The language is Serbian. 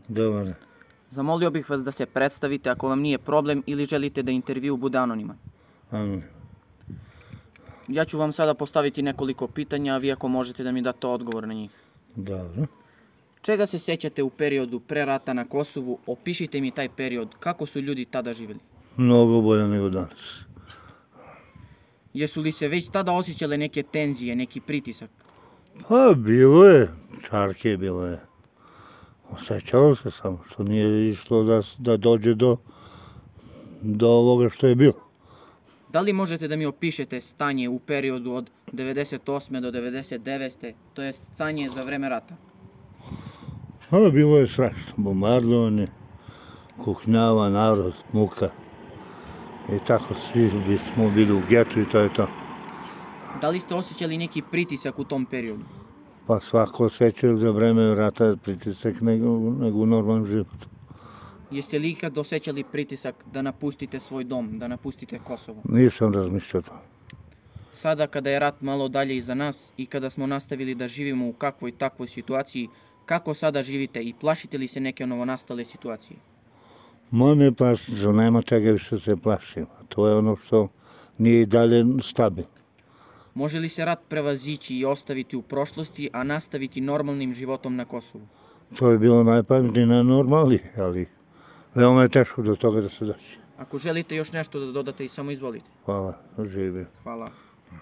Dobar. Zamolio bih vas da se predstavite ako vam nije problem ili želite da intervju bude anoniman. Anonim. Ja ću vam sada postaviti nekoliko pitanja, a vi ako možete da mi date odgovor na njih. Dobro. Čega se sećate u periodu pre rata na Kosovu? Opišite mi taj period. Kako su ljudi tada živjeli? Mnogo bolje nego danas. Jesu li se već tada osjećale neke tenzije, neki pritisak? Pa bilo je, čarke bilo je. Osjećalo se samo što nije išlo da dođe do ovoga što je bilo. Da li možete da mi opišete stanje u periodu od 98. do 99. To je stanje za vreme rata? A bilo je strašno, bombardovanje, kuknjava, narod, muka. I tako svi smo bili u getu i to je to. Da li ste osjećali neki pritisak u tom periodu? Pa svako osjeća za vreme rata pritisak nego u normalnom životu. Jeste li ikad osjećali pritisak da napustite svoj dom, da napustite Kosovo? Nisam razmišljao to. Sada kada je rat malo dalje iza nas i kada smo nastavili da živimo u kakvoj takvoj situaciji, kako sada živite i plašite li se neke novonastale situacije? Ma ne plašim se, nema čega više se plašim. To je ono što nije i dalje stabilno. Može li se rat prevazići i ostaviti u prošlosti, a nastaviti normalnim životom na Kosovu? To je bilo najpametnije, najnormalnije, ali veoma je teško do toga da se doći. Ako želite još nešto da dodate i samo izvolite. Hvala, živio. Hvala.